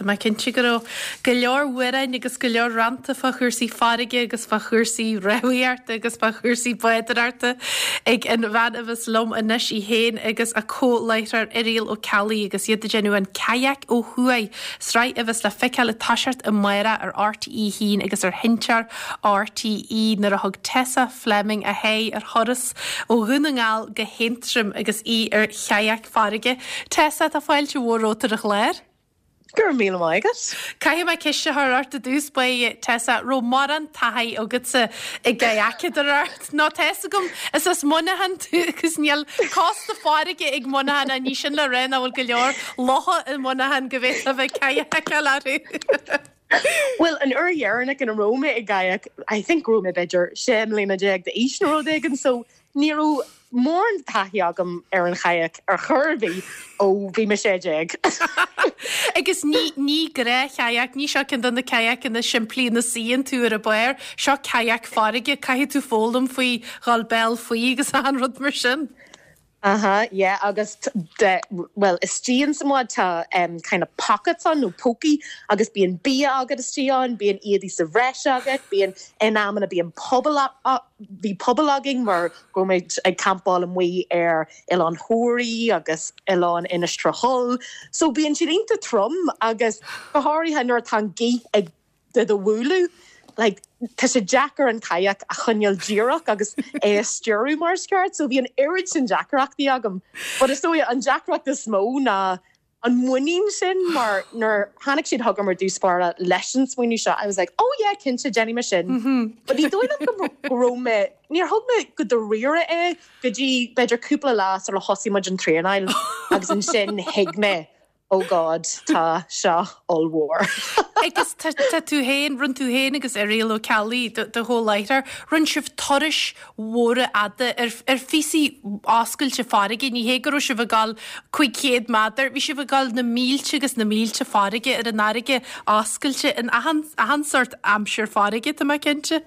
Tá mé cinnte go raibh go leor amhráin agus go leor rannta fá chúrsaí farraige agus fá chúrsaí rámhaíochta agus fá chúrsaí bádóireachta ag an bhean a bheas liom anois, í féin agus a comh-láithreoir Irial Ó Ceallaigh agus iad ag déanamh an Kayak Ó Thuaidh, sraith a bheas le feiceáil ag toiseacht amárach ar RTÉ 1 agus ar Sheinnteoir RTÉ nuair a thug Tessa Fleming a haghaidh ar thuras ó Dhún na nGall go hAontroim agus í ar chayak farraige. Tessa, tá fáilte mhór romhat ar an chlár. Go raibh míle maith agat. Caithfidh mé ceist a chur ort i dtús báire, Tessa, raibh mórán taithí agatsa ag kayakadóireacht? Nó tá fhios agam, is as Muineachán tú agus níl cósta farraige ag Muineachán ach ní sin le rá nach bhfuil go leor locha i Muineachán go bhféadfá a bheith ag kayakáil orthu. Bhuel, an uair dheireanach ina raibh mé i gkayak, I think go raibh mé b'fhéidir 16 mbliana d'aois nó rud éigin, so ní raibh mórán taithí agam ar an chayak ar chor ar bith ó bhí mé 16. Agus ní, ní gnáth-chayak, ní seo ceann de na kayakanna simplí ina suíonn tú ar an barr, seo kayak farraige, caithfidh tú foghlaim faoi dhul béal faoi agus achan rud mar sin. Aha, yeah, agus de, bhuel, istigh ins an mbád tá em kind of pockets ann nó pócaí agus bíonn bia agat istigh ann, bíonn éadaí sa bhreis agat, bíonn, in amanna bíonn puball, bhí puball againn mar go raibh muid ag campáil amuigh ar Oileán Thoraí agus Oileán Inis Trá So bíonn siad iontach trom agus go háirithe nuair atá an gaoth ag do do bhualadh, like, tá sé deacair an kayak a choinneáil díreach agus é a stiúradh mar is ceart, so bhí an oiread sin deacrachtaí agam. But is dóigh an deacracht is mó ná an muinín sin mar nuair tháinig siad chugam ar dtús báire leis an smaoineamh seo, I was like, oh yeah, cinnte, déanfaidh mé sin. But ní dóigh liom go go raibh mé, níor thóg mé go dáiríre é go dtí b'fhéidir cúpla lá sula thosaigh muid an traenáil agus ansin thuig mé Oh God, tá seo ollmhór. Agus tá tú féin, rinne tú féin agus Irial Ó Ceallaigh, do chomh-láithreoir, rinne sibh turais mhóra fhada ar ar phíosaí oscailte farraige, ní hé go raibh sibh ag dul 500 méadar, bhí sibh ag dul na mílte agus na mílte farraige ar an fharraige oscailte in achan achan sórt aimsir farraige, tá mé cinnte.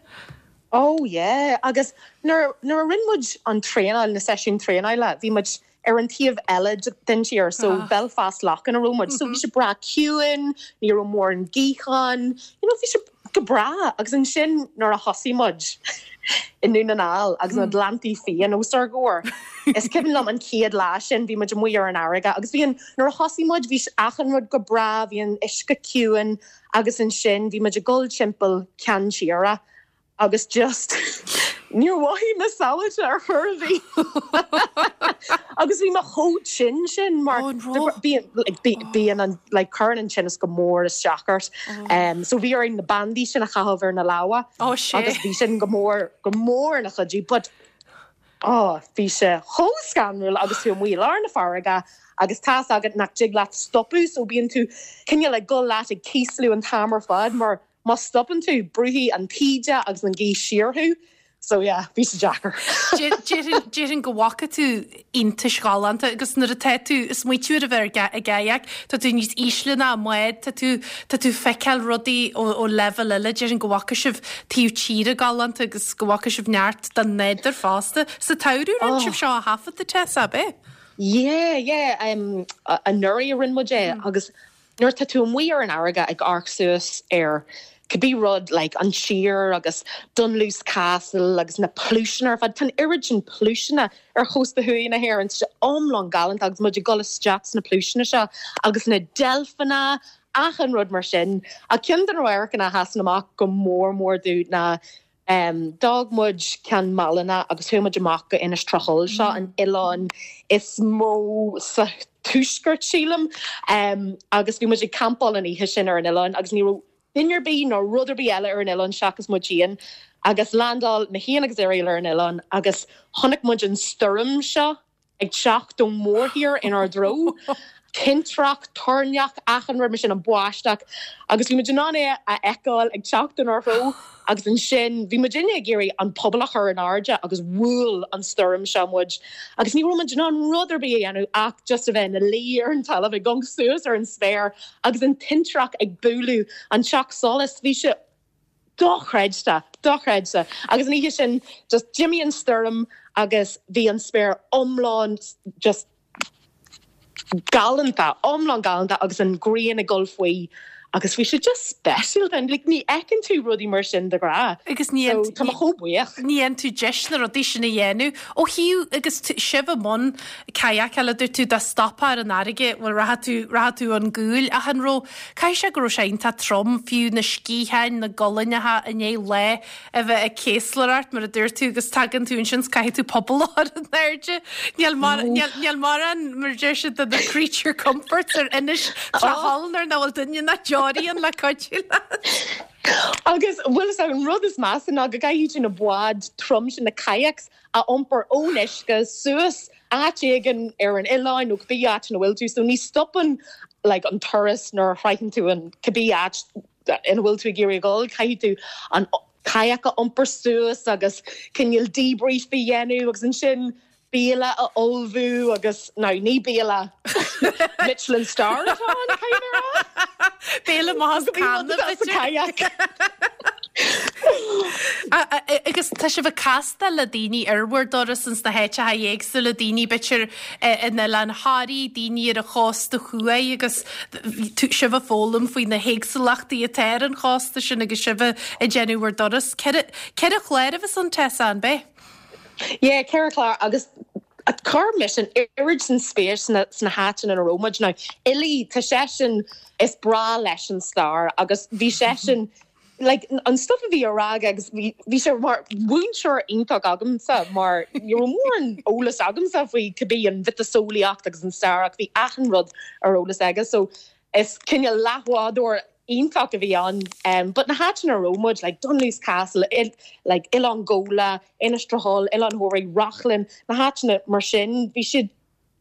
Oh yeah, agus nuair nuair a rinne muid an traenáil, na seisiúin traenála, bhí muid ar an taobh eile den tír, so Belfast Lough ina raibh muid. So bhí sé breá ciúin, ní raibh mórán gaoth ann, you know, bhí sé go breá. Agus ansin nuair a thosaigh muid i nDún na nGall agus na Gleanntaí Fiáin os ár gcomhair, is cuimhin liom an chéad lá sin, bhí muid amuigh ar an fharraige agus bhí an, nuair a thosaigh muid bhí achan rud go breá, bhí an uisce ciúin agus ansin bhí muid ag dul timpeall ceann tíre agus just níor mhothaigh mé sábháilte ar chor ar bith agus bhí mé chomh tinn sin mar bíonn an like cuireann an tinneas go mór isteach ort um, so bhí orainn na bandaí sin a chaitheamh ar na lámha agus bhí sin go mór go mór ina chuidiú but oh bhí sé chomh scanrúil agus tú amuigh i lár na farraige agus tá's agat nach dtig leat stopadh so bíonn tú cineál ag dul leat ag cíosliú an t-am ar fad mar Má stopann tú, brúfaidh an taoide agus an ghaoth siar thú. So yeah, bhí sé deacair. Déarfainn go bhfaca tú iontais ghalánta agus nuair atá tú ag smaoitiú ar a bheith i gkayak, tá tú níos ísle ná an mbád, tá tú, tá tú ag feiceáil rudaí ó, ó leibhéal eile. Déarfainn go bhfaca sibh taobh tíre galánta agus go bhfaca sibh neart den nádúr fosta. Sa tsamhradh a rinne sibh seo a thaifeadadh, Tessa, ab ea? Yeah, yeah, um, anuraidh a rinne muid é agus Nuair atá tú amuigh ar an fharraige ag amharc suas ar cibé rud like an tír agus Dunluce Castle agus na pluaiseanna ar fad, tá an oiread sin pluaiseanna ar chósta thuaidh na hÉireann, tá sé iomlán galánta agus muid ag dul isteach sna pluaiseanna seo agus na deilfeanna, achan rud mar sin. Ach ceann de na radharcanna a sheasann amach go mór mór domh ná D'fhág muid Ceann Maileanna agus chuaigh muid amach go Inis Trá Thull, seo an oileán is mó sa tuaisceart, sílim. Agus bhí muid ag campáil an oíche sin ar an oileán agus ní raibh duine ar bith ná rud ar bith eile ar an oileán seachas muid féin. Agus landáil mé féin agus Irial ar an oileán agus chonaic muid an stoirm seo. ag teacht ón mórthír inár dtreo. Tintreach, toirneach, achan rud mar sin, an bháisteach, agus bhí muid in ann é a fheiceáil ag teacht inár dtreo agus ansin bhí muidinne ag iarraidh an puball a chur in airde agus bhuail an stoirm seo muid agus ní raibh muid in ann rud ar bith a dhéanamh ach just a bheith ina luí ar an talamh ag amharc suas ar an spéir agus an tintreach ag bualadh an teach solais. Bhí sé Dochreidte! Dochreidte! Agus an oíche sin just d'imigh an stoirm agus bhí an spéir iomlán just galánta, iomlán galánta agus an ghrian ag dul faoi agus bhí sé just speisialta. Like ní fheiceann tú rudaí mar sin de ghnáth. Agus ní So tá mé chomh buíoch. Ní fhaigheann tú deis na rudaí sin a dhéanamh. Ó thaobh agus sibh i mbun kayakála dúirt tú dá stopfá ar an fharraige, bhuel rachadh tú, rachadh tú ón gcúil ach an raibh, caithfidh sé go raibh sé iontach trom, fiú na sciatháin, na gualainneacha i ndiaidh lá a bheith ag céaslaireacht, mar a dúirt tú, agus tagann tú ansin is caithfidh tú puball a chur in airde. Níl mar, níl, níl mórán, mar a deir siad, de na creature comforts ar Inis Trá Tholl nuair nach bhfuil duine ná deoraí ann le cuidiú leat. Agus bhfuil fhios agat, an rud is measa ná go gcaithfidh tú na báid trom sin, na kayaks, a iompar ón uisce suas áit éigin ar an oileán nó cibé áit ina bhfuil tú. So ní stopann like an turas nuair a shroicheann tú an cibé áit ina bhfuil tú ag iarraidh a dhul, caithfidh tú an kayak a iompar suas agus cineál debrief a dhéanamh agus ansin béile a ullmhú agus, now ní béile Michelin star atá ann, caithfidh mé a rá. Béile maith as canna, b'fhéidir. Agus tá sibh ag castáil le daoine ar bhur dturas ins na háiteacha éagsúla, daoine b'fhéidir in Oileán Thoraí, daoine ar an chósta thuaidh agus sibh ag foghlaim faoi na héagsúlachtaí atá ar an chósta sin agus sibh ag déanamh bhur dturas. 4 chlár a bheas ann, Tessa, an bea? Yeah, 4 chlár agus chuir mise an oiread sin spéis sna sna háiteanna ina raibh muid. Now, Uilí, tá seisean, is breá leis an stair agus bhí seisean, like, an stuff a bhí á rá aige agus bhí, bhí sé mar mhúinteoir iontach agamsa mar ní raibh mórán eolas agamsa faoi cibé an mhiotaseolaíocht agus an stair ach bhí achan rud ar eolas aige so is cineál leathbhádóir iontach a bhí ann. Um, but na háiteanna a raibh muid, like Dunluce Castle, il, like Oileán Ghabhla, Inis Tuathail, Oileán Thoraí, Reachlainn, na háiteanna mar sin, bhí siad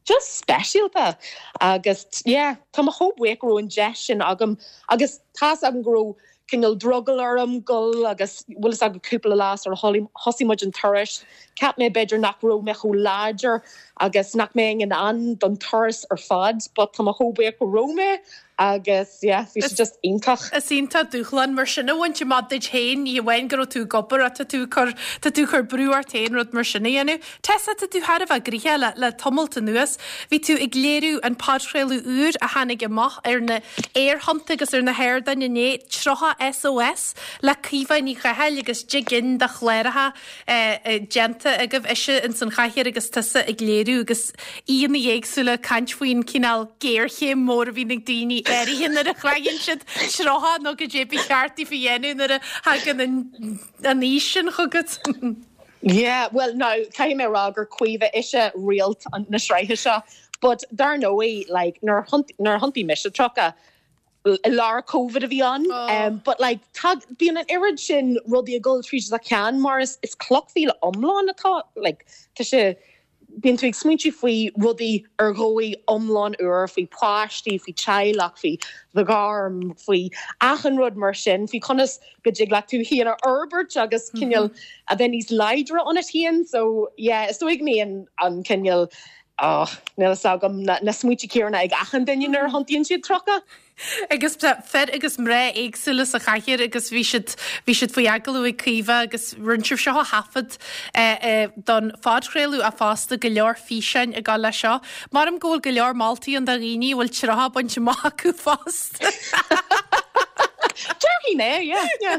just speisialta agus yeah tá mé chomh buíoch go raibh an deis sin agam agus tá's agam go raibh cineál drogall orm dul agus bhfuil fhios agat cúpla lá sar thosaigh muid an turas cheap mé b'fhéidir nach raibh mé chomh láidir agus nach mbeinn in ann don turas ar fad but tá mé chomh buíoch go raibh mé agus yeah bhí sé just iontach. Is iontach dúshlán mar sin a bhaint amach duit féin, ní hamháin go raibh tú ag obair ach tá tú ag cur, tá tú ag cur brú ort féin rud mar sin a dhéanamh. Tessa, tá tú thar a bheith gnoitheach le, le tamalt anuas. Bhí tú ag léiriú an podchraoladh úr a tháinig amach ar na aerthonnta agus ar na hardáin inné, 30 SOS, le Caoimhe Ní Chathail agus 10 gcinn de chláracha déanta agaibh, ise ins an chathaoir agus tusa ag léiriú agus aíonna éagsúla ag caint faoin cineál géarchéim mór a bhíonn ag daoine áirithe nuair a shroicheann siad 30 nó goidé ba cheart daofa a dhéanamh nuair a thagann an aois sin chugat. Yeah, well now caithfidh mé a rá gur Caoimhe ise réalt na sraithe seo but dar ndóigh like nuair a thiontaigh mise 30, i lár Covid a bhí ann but like tá bíonn an oiread sin rudaí ag dul tríd do cheann mar is is clochmhíle iomlán atá like tá sé bíonn tú ag smaointiú faoi rudaí ar dhóigh iomlán úr faoi páistí faoi teaghlach faoi do ghairm faoi achan rud mar sin faoi conas go dtig leat tú féin a fhorbairt agus cineál a bheith níos láidre ionat féin so yeah is dóigh go mbíonn an cineál Oh, níl fhios agam na smaointe céanna ag achan duine nuair a thiontaíonn siad 30. Agus fir agus mná éagsúla sa chathaoir agus bhí siad, bhí siad faoi agallamh ag Caoimhe agus rinne sibh seo a thaifead don phodchraoladh ach fosta go leor físeáin ag dul leis seo. Maram go bhfuil go leor moltaí ann do dhaoine a bhfuil 30 bainte amach acu fosta. Déarfainn é, yeah, yeah.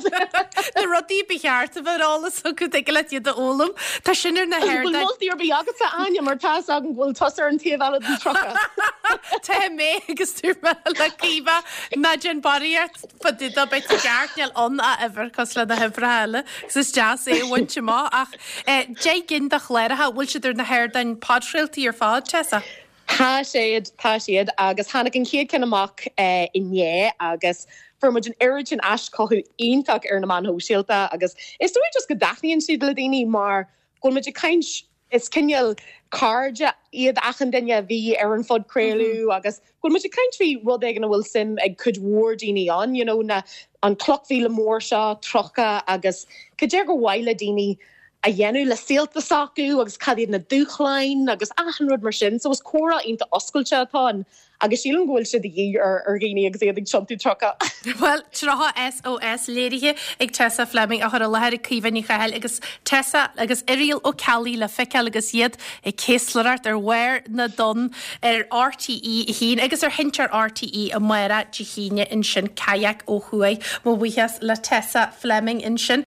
Na rudaí ba cheart a bheith ar eolas acu, tig leat iad a fhoghlaim. Tá sin ar na hardáin. Bhfuil moltaí ar bith agatsa, Áine, mar tá fhios agam go bhfuil tusa ar an taobh eile den 30. Tá mé agus dúirt mé le Caoimhe, ná déan barraíocht fá dtaobh dó, beidh tú ceart, níl ann ach uimhir cosúil le na huimhreacha eile agus is deas é a bhaint amach ach 10 gcinn de chláracha, bhfuil siad ar na hardáin podchraoltaí ar fad, Tessa? Tá siad, tá siad, agus tháinig an chéad ceann amach inné agus fuair muid an oiread sin aischothú iontach ar na meáin shóisialta agus is dóigh just go dtaitníonn siad le daoine mar go bhfuil muid ag caint, is cineál cairde iad achan duine a bhí ar an phodchraoladh agus go bhfuil muid ag caint faoi rud éigin a bhfuil suim ag cuid mhór daoine ann, you know, na, an clochmhíle mór seo, 30 agus cad é gur mhaith le daoine. a dhéanamh le saolta s'acu agus cad iad na dúshláin agus achan rud mar sin. So is comhrá iontach oscailte atá ann agus sílim go bhfuil sé de dhíth ar ar dhaoine agus iad ag tiontú 30. Bhuel, 30 SOS léirithe ag Tessa Fleming, á chur i láthair ag Caoimhe Ní Chathail agus Tessa agus Irial Ó Ceallaigh le feiceáil agus iad ag céaslaireacht ar bharr na dtonn ar RTÉ 1 agus ar Sheinnteoir RTÉ amárach Dé hAoine ansin, Kayak ó thuaidh. Mo bhuíochas le Tessa Fleming ansin.